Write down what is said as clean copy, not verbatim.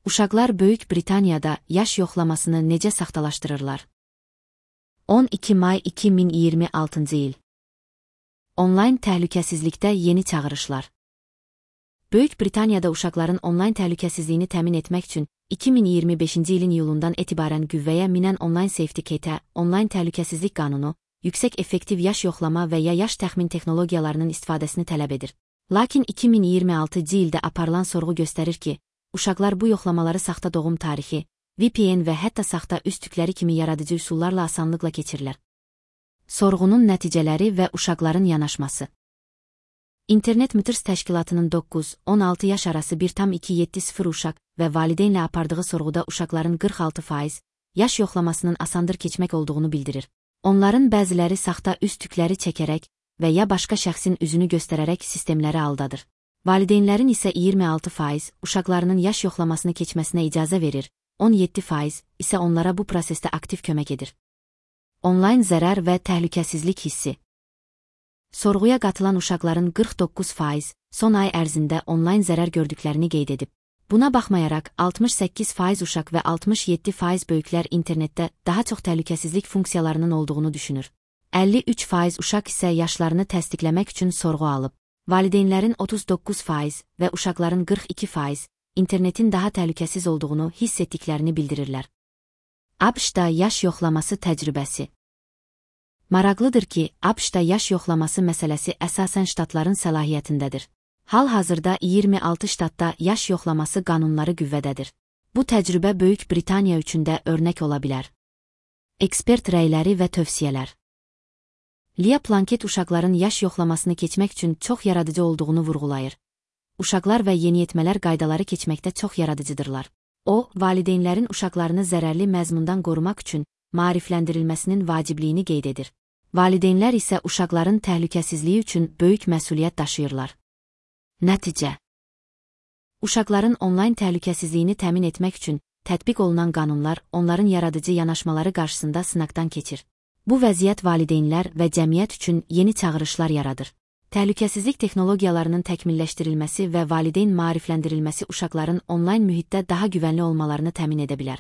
Uşaqlar Böyük Britaniyada yaş yoxlamasını necə saxtalaşdırırlar? 12 may 2026 il. Onlayn təhlükəsizlikdə yeni çağırışlar. Böyük Britaniyada uşaqların onlayn təhlükəsizliyini təmin etmək üçün 2025-ci ilin iyulundan etibarən qüvvəyə minən Online Safety Kit, onlayn təhlükəsizlik qanunu, yüksək effektiv yaş yoxlama və ya yaş təxmin texnologiyalarının istifadəsini tələb edir. Lakin 2026-cı ildə aparılan sorğu göstərir ki, uşaqlar bu yoxlamaları saxta doğum tarixi, VPN və hətta saxta üz tükləri kimi yaradıcı üsullarla asanlıqla keçirlər. Sorğunun nəticələri və uşaqların yanaşması. İnternet Mütərs Təşkilatının 9-16 yaş arası 1,270 uşaq və valideynlə apardığı sorğuda uşaqların 46% yaş yoxlamasının asandır keçmək olduğunu bildirir. Onların bəziləri saxta üz tükləri çəkərək və ya başqa şəxsin üzünü göstərərək sistemləri aldadır. Valideynlərin isə 26% uşaqlarının yaş yoxlamasını keçməsinə icazə verir, 17% isə onlara bu prosesdə aktiv kömək edir. Onlayn zərər və təhlükəsizlik hissi. Sorğuya qatılan uşaqların 49% son ay ərzində onlayn zərər gördüklərini qeyd edib. Buna baxmayaraq 68% uşaq və 67% böyüklər internetdə daha çox təhlükəsizlik funksiyalarının olduğunu düşünür. 53% uşaq isə yaşlarını təsdiqləmək üçün sorğu alıb. Valideynlərin 39% və uşaqların 42% internetin daha təhlükəsiz olduğunu hiss etdiklərini bildirirlər. ABŞ-da yaş yoxlaması təcrübəsi. Maraqlıdır ki, ABŞ-da yaş yoxlaması məsələsi əsasən ştatların səlahiyyətindədir. Hal-hazırda 26 ştatda yaş yoxlaması qanunları qüvvədədir. Bu təcrübə Böyük Britaniya üçün də örnək ola bilər. Ekspert rəyləri və tövsiyələr. Leah Plunkett uşaqların yaş yoxlamasını keçmək üçün çox yaradıcı olduğunu vurğulayır. Uşaqlar və yeniyetmələr qaydaları keçməkdə çox yaradıcıdırlar. O, valideynlərin uşaqlarını zərərli məzmundan qorumaq üçün maarifləndirilməsinin vacibliyini qeyd edir. Valideynlər isə uşaqların təhlükəsizliyi üçün böyük məsuliyyət daşıyırlar. Nəticə. Uşaqların onlayn təhlükəsizliyini təmin etmək üçün tətbiq olunan qanunlar onların yaradıcı yanaşmaları qarşısında sınaqdan keçir. Bu vəziyyət valideynlər və cəmiyyət üçün yeni çağırışlar yaradır. Təhlükəsizlik texnologiyalarının təkmilləşdirilməsi və valideyn maarifləndirilməsi uşaqların onlayn mühitdə daha güvənli olmalarını təmin edə bilər.